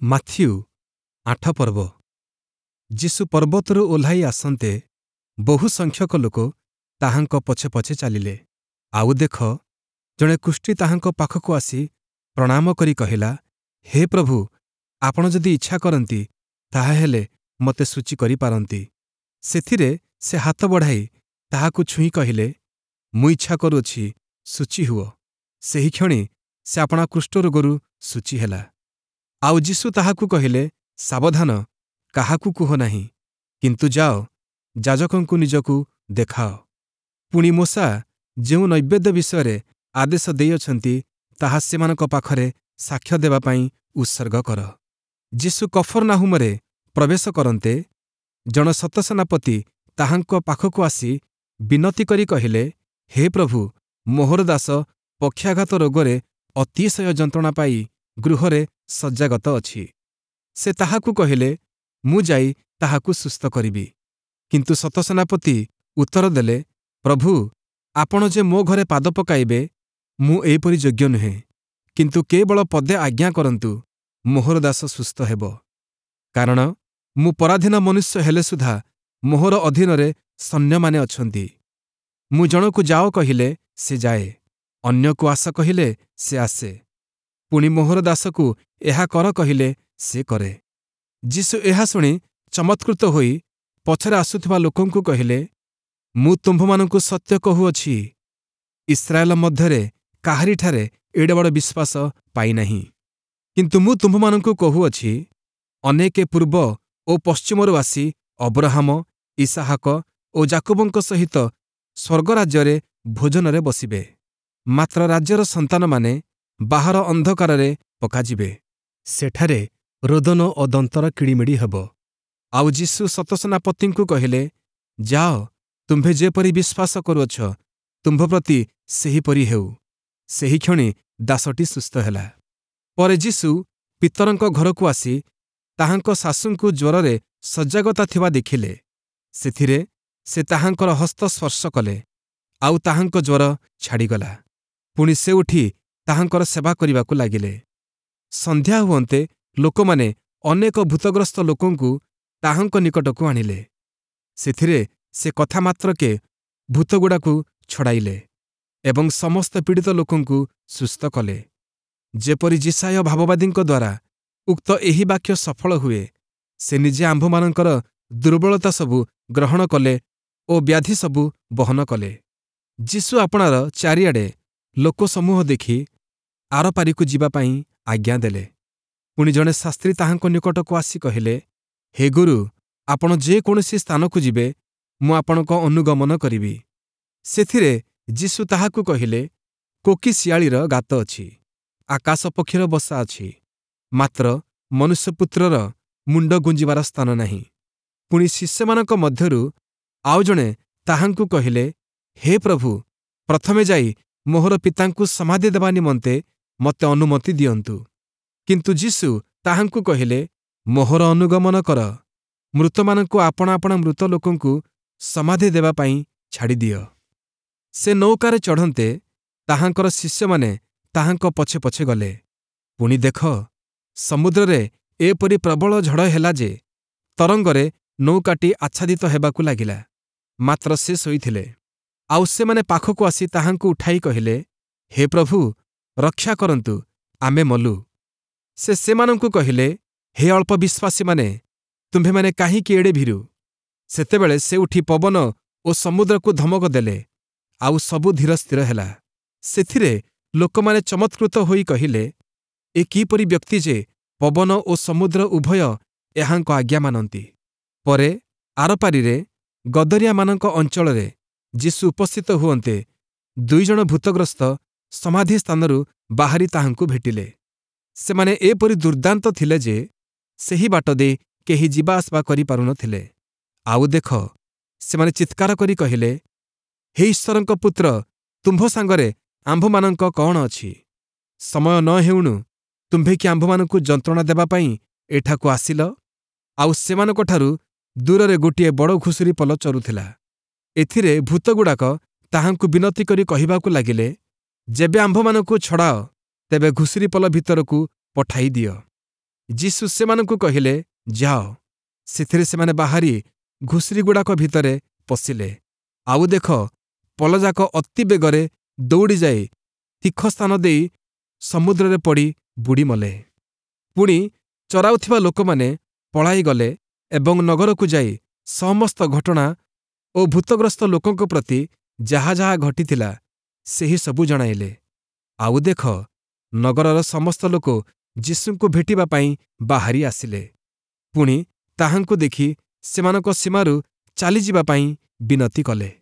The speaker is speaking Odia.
ମାଥିଉ 8 ପର୍ବ। ଯୀଶୁ ପର୍ବତରୁ ଓହ୍ଲାଇ ଆସନ୍ତେ ବହୁ ସଂଖ୍ୟକ ଲୋକ ତାହାଙ୍କ ପଛେ ପଛେ ଚାଲିଲେ। ଆଉ ଦେଖ, ଜଣେ କୁଷ୍ଠୀ ତାହାଙ୍କ ପାଖକୁ ଆସି ପ୍ରଣାମ କରି କହିଲା, ହେ ପ୍ରଭୁ, ଆପଣ ଯଦି ଇଚ୍ଛା କରନ୍ତି, ତାହାହେଲେ ମୋତେ ଶୁଚି କରିପାରନ୍ତି। ସେଥିରେ ସେ ହାତ ବଢ଼ାଇ ତାହାକୁ ଛୁଇଁ କହିଲେ, ମୁଁ ଇଚ୍ଛା କରୁଅଛି, ଶୁଚି ହୁଅ। ସେହିକ୍ଷଣି ସେ ଆପଣା କୁଷ୍ଠରୋଗରୁ ଶୁଚି ହେଲା। ଆଉ ଯୀଶୁ ତାହାକୁ କହିଲେ, ସାବଧାନ, କାହାକୁ କୁହ ନାହିଁ, କିନ୍ତୁ ଯାଅ, ଯାଜକଙ୍କୁ ନିଜକୁ ଦେଖାଅ। ପୁଣି ମୋଶା ଯେଉଁ ନୈବେଦ୍ୟ ବିଷୟରେ ଆଦେଶ ଦେଇଅଛନ୍ତି, ତାହା ସେମାନଙ୍କ ପାଖରେ ସାକ୍ଷ୍ୟ ଦେବା ପାଇଁ ଉତ୍ସର୍ଗ କର। ଯୀଶୁ କଫର୍ନାହୂମରେ ପ୍ରବେଶ କରନ୍ତେ, ଜଣେ ଶତସେନାପତି ତାହାଙ୍କ ପାଖକୁ ଆସି ବିନତି କରି କହିଲେ, ହେ ପ୍ରଭୁ, ମୋହର ଦାସ ପକ୍ଷାଘାତ ରୋଗରେ ଅତିଶୟ ଯନ୍ତ୍ରଣା ପାଇ ଗୃହରେ ଶଯ୍ୟାଗତ ଅଛି। ସେ ତାହାକୁ କହିଲେ, ମୁଁ ଯାଇ ତାହାକୁ ସୁସ୍ଥ କରିବି। କିନ୍ତୁ ଶତସେନାପତି ଉତ୍ତର ଦେଲେ, ପ୍ରଭୁ, ଆପଣ ଯେ ମୋ ଘରେ ପାଦ ପକାଇବେ, ମୁଁ ଏପରି ଯୋଗ୍ୟ ନୁହେଁ। କିନ୍ତୁ କେବଳ ପଦେ ଆଜ୍ଞା କରନ୍ତୁ, ମୋହର ଦାସ ସୁସ୍ଥ ହେବ। କାରଣ ମୁଁ ପରାଧୀନ ମନୁଷ୍ୟ ହେଲେ ସୁଦ୍ଧା ମୋହର ଅଧୀନରେ ସୈନ୍ୟମାନେ ଅଛନ୍ତି। ମୁଁ ଜଣକୁ ଯାଅ କହିଲେ ସେ ଯାଏ, ଅନ୍ୟକୁ ଆସ କହିଲେ ସେ ଆସେ। ପୁଣି ମୋହର ଦାସକୁ ଏହା କର କହିଲେ ସେ କରେ। ଯୀଶୁ ଏହା ଶୁଣି ଚମତ୍କୃତ ହୋଇ ପଛରେ ଆସୁଥିବା ଲୋକଙ୍କୁ କହିଲେ, ମୁଁ ତୁମ୍ଭମାନଙ୍କୁ ସତ୍ୟ କହୁଅଛି, ଇସ୍ରାଏଲ ମଧ୍ୟରେ କାହାରିଠାରେ ଏଡ଼େ ବଡ଼ ବିଶ୍ୱାସ ପାଇନାହିଁ। କିନ୍ତୁ ମୁଁ ତୁମ୍ଭମାନଙ୍କୁ କହୁଅଛି, ଅନେକେ ପୂର୍ବ ଓ ପଶ୍ଚିମରୁ ଆସି ଅବ୍ରହାମ, ଇସାହାକ ଓ ଯାକୁବଙ୍କ ସହିତ ସ୍ୱର୍ଗରାଜ୍ୟରେ ଭୋଜନରେ ବସିବେ। ମାତ୍ର ରାଜ୍ୟର ସନ୍ତାନମାନେ ବାହାର ଅନ୍ଧକାରରେ ପକାଯିବେ। ସେଠାରେ ରୋଦନ ଓ ଦନ୍ତର କିଡ଼ିମିଡ଼ି ହେବ। ଆଉ ଯୀଶୁ ଶତସେନାପତିଙ୍କୁ କହିଲେ, ଯାଅ, ତୁମ୍ଭେ ଯେପରି ବିଶ୍ୱାସ କରୁଅଛ, ତୁମ୍ଭ ପ୍ରତି ସେହିପରି ହେଉ। ସେହିକ୍ଷଣି ଦାସଟି ସୁସ୍ଥ ହେଲା। ପରେ ଯୀଶୁ ପିତରଙ୍କ ଘରକୁ ଆସି ତାହାଙ୍କ ଶାଶୁଙ୍କୁ ଜ୍ୱରରେ ଶଯ୍ୟାଗତା ଥିବା ଦେଖିଲେ। ସେଥିରେ ସେ ତାହାଙ୍କର ହସ୍ତ ସ୍ପର୍ଶ କଲେ, ଆଉ ତାହାଙ୍କ ଜ୍ୱର ଛାଡ଼ିଗଲା। ପୁଣି ସେ ଉଠି ତାହାଙ୍କର ସେବା କରିବାକୁ ଲାଗିଲେ। ସନ୍ଧ୍ୟା ହୁଅନ୍ତେ ଲୋକମାନେ ଅନେକ ଭୂତଗ୍ରସ୍ତ ଲୋକଙ୍କୁ ତାହାଙ୍କ ନିକଟକୁ ଆଣିଲେ। ସେଥିରେ ସେ କଥା ମାତ୍ରକେ ଭୂତଗୁଡ଼ାକୁ ଛଡ଼ାଇଲେ ଏବଂ ସମସ୍ତ ପୀଡ଼ିତ ଲୋକଙ୍କୁ ସୁସ୍ଥ କଲେ। ଯେପରି ଯିଶାଇୟ ଭାବବାଦୀଙ୍କ ଦ୍ୱାରା ଉକ୍ତ ଏହି ବାକ୍ୟ ସଫଳ ହୁଏ, ସେ ନିଜେ ଆମ୍ଭମାନଙ୍କର ଦୁର୍ବଳତା ସବୁ ଗ୍ରହଣ କଲେ ଓ ବ୍ୟାଧି ସବୁ ବହନ କଲେ। ଯୀଶୁ ଆପଣାର ଚାରିଆଡ଼େ ଲୋକସମୂହ ଦେଖି ଆରପାରିକୁ ଯିବା ପାଇଁ ଆଜ୍ଞା ଦେଲେ। ପୁଣି ଜଣେ ଶାସ୍ତ୍ରୀ ତାହାଙ୍କ ନିକଟକୁ ଆସି କହିଲେ, ହେ ଗୁରୁ, ଆପଣ ଯେକୌଣସି ସ୍ଥାନକୁ ଯିବେ, ମୁଁ ଆପଣଙ୍କ ଅନୁଗମନ କରିବି। ସେଥିରେ ଯୀଶୁ ତାହାକୁ କହିଲେ, କୋକିଶିଆଳିର ଗାତ ଅଛି, ଆକାଶ ପକ୍ଷୀର ବସା ଅଛି, ମାତ୍ର ମନୁଷ୍ୟପୁତ୍ରର ମୁଣ୍ଡ ଗୁଞ୍ଜିବାର ସ୍ଥାନ ନାହିଁ। ପୁଣି ଶିଷ୍ୟମାନଙ୍କ ମଧ୍ୟରୁ ଆଉ ଜଣେ ତାହାଙ୍କୁ କହିଲେ, ହେ ପ୍ରଭୁ, ପ୍ରଥମେ ଯାଇ ମୋହର ପିତାଙ୍କୁ ସମାଧି ଦେବା ନିମନ୍ତେ ମୋତେ ଅନୁମତି ଦିଅନ୍ତୁ। କିନ୍ତୁ ଯୀଶୁ ତାହାଙ୍କୁ କହିଲେ, ମୋହର ଅନୁଗମନ କର, ମୃତମାନଙ୍କୁ ଆପଣା ଆପଣା ମୃତ ଲୋକଙ୍କୁ ସମାଧି ଦେବା ପାଇଁ ଛାଡ଼ିଦିଅ। ସେ ନୌକାରେ ଚଢ଼ନ୍ତେ ତାହାଙ୍କର ଶିଷ୍ୟମାନେ ତାହାଙ୍କ ପଛେ ପଛେ ଗଲେ। ପୁଣି ଦେଖ, ସମୁଦ୍ରରେ ଏପରି ପ୍ରବଳ ଝଡ଼ ହେଲା ଯେ ତରଙ୍ଗରେ ନୌକାଟି ଆଚ୍ଛାଦିତ ହେବାକୁ ଲାଗିଲା। ମାତ୍ର ସେ ଶୋଇଥିଲେ। ଆଉ ସେମାନେ ପାଖକୁ ଆସି ତାହାଙ୍କୁ ଉଠାଇ କହିଲେ, ହେ ପ୍ରଭୁ, ରକ୍ଷା କରନ୍ତୁ, ଆମେ ମଲୁ। ସେ ସେମାନଙ୍କୁ କହିଲେ, ହେ ଅଳ୍ପ ବିଶ୍ୱାସୀମାନେ, ତୁମ୍ଭେମାନେ କାହିଁକି ଏଡ଼େ ଭୀରୁ? ସେତେବେଳେ ସେ ଉଠି ପବନ ଓ ସମୁଦ୍ରକୁ ଧମକ ଦେଲେ, ଆଉ ସବୁ ଧୀର ସ୍ଥିର ହେଲା। ସେଥିରେ ଲୋକମାନେ ଚମତ୍କୃତ ହୋଇ କହିଲେ, ଏ କିପରି ବ୍ୟକ୍ତି ଯେ ପବନ ଓ ସମୁଦ୍ର ଉଭୟ ଏହାଙ୍କ ଆଜ୍ଞା ମାନନ୍ତି? ପରେ ଆରପାରିରେ ଗଦରିଆମାନଙ୍କ ଅଞ୍ଚଳରେ ଯୀଶୁ ଉପସ୍ଥିତ ହୁଅନ୍ତେ ଦୁଇଜଣ ଭୂତଗ୍ରସ୍ତ ସମାଧି ସ୍ଥାନରୁ ବାହାରି ତାହାଙ୍କୁ ଭେଟିଲେ। ସେମାନେ ଏପରି ଦୁର୍ଦ୍ଦାନ୍ତ ଥିଲେ ଯେ ସେହି ବାଟ ଦେଇ କେହି ଯିବା ଆସିବା କରିପାରୁନଥିଲେ। ଆଉ ଦେଖ, ସେମାନେ ଚିତ୍କାର କରି କହିଲେ, ହେ ଈଶ୍ୱରଙ୍କ ପୁତ୍ର, ତୁମ୍ଭ ସାଙ୍ଗରେ ଆମ୍ଭମାନଙ୍କ କଣ ଅଛି? ସମୟ ନ ହେଉଣୁ ତୁମ୍ଭେ କି ଆମ୍ଭମାନଙ୍କୁ ଯନ୍ତ୍ରଣା ଦେବା ପାଇଁ ଏଠାକୁ ଆସିଲ? ଆଉ ସେମାନଙ୍କଠାରୁ ଦୂରରେ ଗୋଟିଏ ବଡ଼ ଘୁଷୁରି ପଲ ଚରୁଥିଲା। ଏଥିରେ ଭୂତଗୁଡ଼ାକ ତାହାଙ୍କୁ ବିନତି କରି କହିବାକୁ ଲାଗିଲେ, ଯେବେ ଆମ୍ଭମାନଙ୍କୁ ଛଡ଼ାଅ, ତେବେ ଘୁଷୁରି ପଲ ଭିତରକୁ ପଠାଇ ଦିଅ। ଯୀଶୁ ସେମାନଙ୍କୁ କହିଲେ, ଯାଅ। ସେଥିରେ ସେମାନେ ବାହାରି ଘୁଷୁରିଗୁଡ଼ାକ ଭିତରେ ପଶିଲେ। ଆଉ ଦେଖ, ପଲଯାକ ଅତି ବେଗରେ ଦୌଡ଼ିଯାଇ ତୀଖ ସ୍ଥାନ ଦେଇ ସମୁଦ୍ରରେ ପଡ଼ି ବୁଡ଼ିମଲେ। ପୁଣି ଚରାଉଥିବା ଲୋକମାନେ ପଳାଇଗଲେ ଏବଂ ନଗରକୁ ଯାଇ ସମସ୍ତ ଘଟଣା ଓ ଭୂତଗ୍ରସ୍ତ ଲୋକଙ୍କ ପ୍ରତି ଯାହା ଯାହା ଘଟିଥିଲା ସେହି ସବୁ ଜଣାଇଲେ। ଆଉ ଦେଖ, ନଗରର ସମସ୍ତ ଲୋକ ଯୀଶୁଙ୍କୁ ଭେଟିବା ପାଇଁ ବାହାରି ଆସିଲେ। ପୁଣି ତାହାଙ୍କୁ ଦେଖି ସେମାନଙ୍କ ସୀମାରୁ ଚାଲିଯିବା ପାଇଁ ବିନତି କଲେ।